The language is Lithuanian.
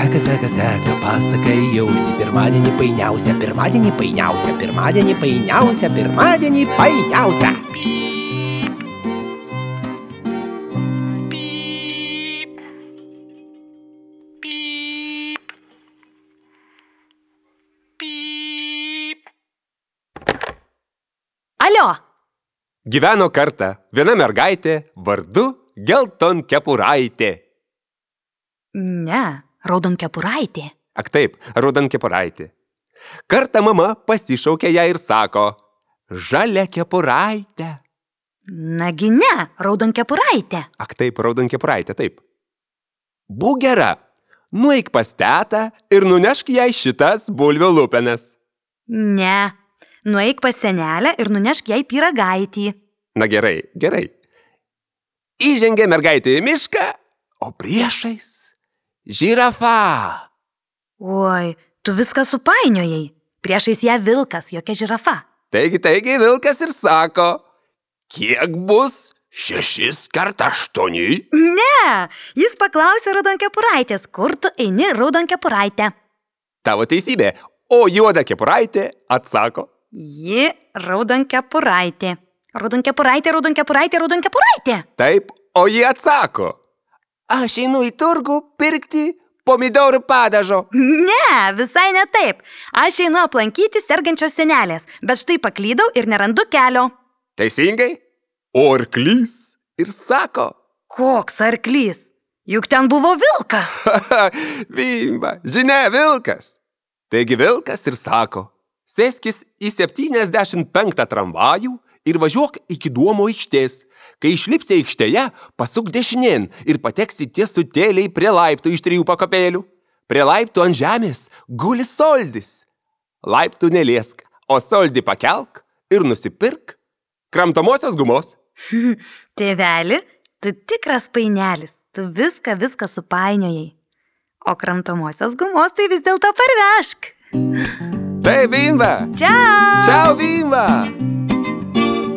Seka, pasakai jausi, pirmadienį painiausia, pirmadienį painiausia, pirmadienį painiausia, pirmadienį painiausia. Alio! Gyveno kartą viena mergaitė vardu Geltonkepuraitė. Ne, Raudonkepuraitė. Ak taip, Raudonkepuraitė. Kartą mama pasišaukė ją ir sako: Žaliakepuraitė. Nagi ne, Raudonkepuraitė. Ak taip, Raudonkepuraitė, taip. Būk gera, nueik pas tetą ir nunešk jai šitas bulvių lupenas. Ne, nueik pas senelę ir nunešk jai pyragaitį. Na gerai. Įžengė mergaitė į mišką, o priešais žirafa. Oi, tu viską supainiojai. Priešais ją vilkas, jokia žirafa. Taigi vilkas ir sako: Kiek bus 6 × 8? Ne, jis paklausė Raudonkepuraitės, kur tu eini, Raudonkepuraitė. Tavo teisybė, o Juodakepuraitė atsako: Ji Raudonkepuraitė. Raudonkepuraitė. Taip, o ji atsako: Aš einu į turgų pirkti pomidorų padažo. Ne, visai ne taip. Aš einu aplankyti sergančios senelės, bet štai paklydau ir nerandu kelio. Teisingai? O arklys ir sako: Koks arklys? Juk ten buvo vilkas. Vimba, žinia, vilkas. Taigi vilkas ir sako: Sėskis į 75 tramvajų ir važiuok iki Duomo aikštės. Kai išlipsi aikštėje, pasuk dešinėn ir pateksi tiesutėliai prie laiptų iš 3 pakopėlių. Prie laiptų ant žemės guli soldis. Laiptų neliesk, o soldį pakelk ir nusipirk kramtomosios gumos. Tėveli, tu tikras painelis, tu viską supainiojai. O kramtomosios gumos tai vis dėlto parvežk. Tai Vimba. Čiau. Čiau, Vimba.